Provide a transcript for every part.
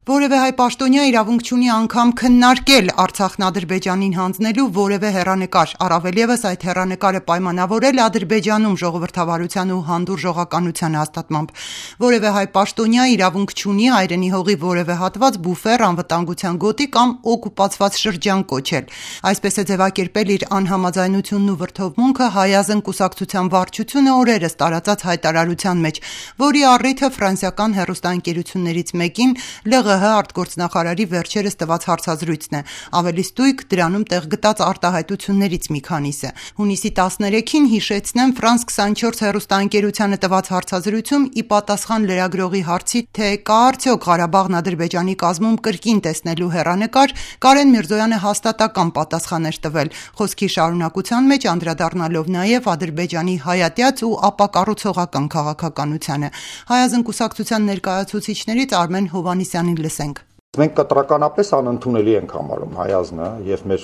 Որևէ հայ պաշտոնյա իրավունք չունի անգամ քննարկել Արցախն Ադրբեջանին հանձնելու որևէ հեռանկար, առավել ևս այդ հեռանկարը պայմանավորել Ադրբեջանում ժողովրդավարության ու հանդուրժողականության հաստատմամբ։ Որևէ հայ պաշտոնյա իրավունք չունի հայրենի հողի որևէ հատված բուֆեր, անվտանգության գոտի կամ օկուպացված շրջան կոչել։ Այսպես է ձևակերպել իր անհամաձայնությունն ու վրդովմունքը Հայ Ազգ կուսակցության վարչությունը օրերս տարածած հայտարարության մեջ, որի առիթը ֆրանսիական հեռուստաընկերություններից մեկին ԼՂՀ արտգործնախարարի վերջերս տված հարցազրույցն է, ավելի ստույգ դրանում տեղ գտած արտահայտություններից մի քանիսը։ Հունիսի 13-ին հիշեցնեմ Ֆրանս 24 հեռուստաընկերությանը տված հարցազրույցում ի պատասխան լրագրողի հարցի, թե կա արդյոք Ղարաբաղն Ադրբեջանի կազմում կրկին տեսնելու հեռանկար, Կարեն Միրզոյանը հաստատական պատասխան էր տվել, խոսքի շարունակության մեջ անդրադառնալով նաև Ադրբեջանի հայատյաց ու ապակառուցողական քաղաքականությանը։ Հայ Ազգ կուսակցության ներկայացուցիչներից Արմեն Հովհաննիսյանին լսենք։ Մենք կտրականապես անընդունելի ենք համարում Հայ Ազգը եւ մեր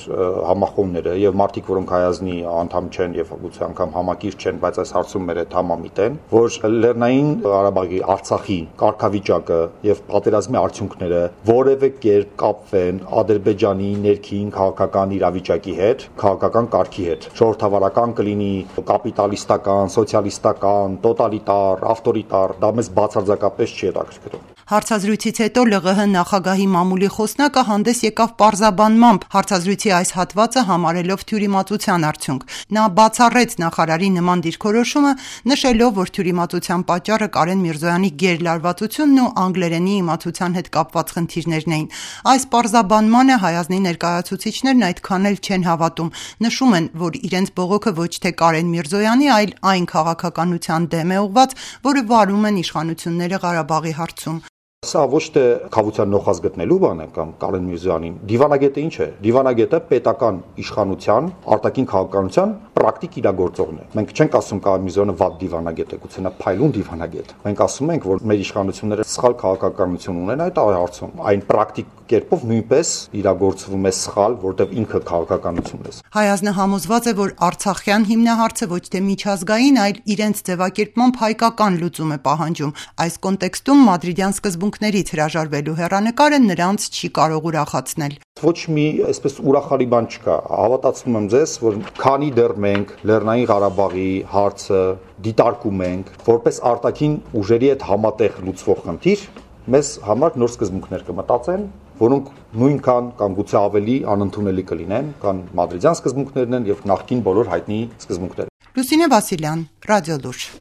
համախոհները եւ մարդիկ, որոնք Հայ Ազգի անդամ չեն եւ գուցե անգամ համակիր չեն, բայց այս հարցում մեր հետ համամիտ են, որ Լեռնային Ղարաբաղի Արցախի կարգավիճակը եւ պատերազմի արդյունքները որևէ կերպ կապվեն Ադրբեջանի ներքին քաղաքական իրավիճակի հետ, քաղաքական կարգի հետ։ Ժողովրդավարական կլինի, կապիտալիստական, սոցիալիստական, տոտալիտար, ավտորիտար, դա մեզ բացարձակապես չի հետաքրքրում։ Հարցազրույցից հետո ԼՂՀ նախագահի մամուլի խոսնակը հանդես եկավ պարզաբանմամբ հարցազրույցի այս հատվածը համարելով թյուրիմացության արդյունք։ Նա բացառեց նախարարի նման դիրքորոշումը, նշելով, որ թյուրիմացության պատճառը Կարեն Միրզոյանի գերլարվածությունն ու անգլերենի իմացության հետ կապված խնդիրներն էին։ Այս պարզաբանմանը Հայ Ազգի ներկայացուցիչներն այդքան էլ չեն հավատում։ Նշում են, որ իրենց բողոքը ոչ թե Կարեն Միրզոյանի, այլ այն քաղաքականության դեմ է ուղված, որը վարում են իշխանությունները Ղարաբաղի հարցում։ Սա ոչ թե խաղության նոխազ գտնելու բան է կամ Կարեն Միրզոյանին։ Դիվանագետը ինչ է։ Դիվանագետը պետական իշխանության, արտաքին քաղաքականության պրակտիկ իրագործողն է։ Մենք չենք ասում Կարեն Միրզոյանը վատ դիվանագետ է, գուցե նա փայլուն դիվանագետ։ Մենք ասում ենք, որ մեր իշխանությունները սխալ քաղաքականություն ունեն այդ հարցում։ Այն պրակտիկ կերպով նույնպես իրագործվում է սխալ, որտեղ ինքը քաղաքականությունն է։ Հայ Ազգը համոզված է, որ Արցախյան հիմնահարցը ոչ թե միջազգային, այլ իրենց ձևակերպմամբ հայկական լուծում է պահանջում։ Այս կոնտեքստում մադրիդյան սկզբունքներից հրաժարվելու հեռանկարը նրանց չի կարող ուրախացնել։ Ոչ մի այսպես ուրախալի բան չկա։ Հավատացնում եմ ձեզ, որ քանի դեռ մենք Լեռնային Ղարաբաղի հարցը դիտարկում ենք որպես արտաքին ուժերի հետ համատեղ լուծվող խնդիր, մեզ համար նոր սկզբունքներ կմտածեն, որոնք նույնքան կամ գուցե ավելի անընդունելի կլինեն, քան մադրիդյան սկզբունքներն են եւ նախկին բոլոր հայտնի սկզբունքները։ Լուսինե Վասիլյան, Ռադիո Լուր։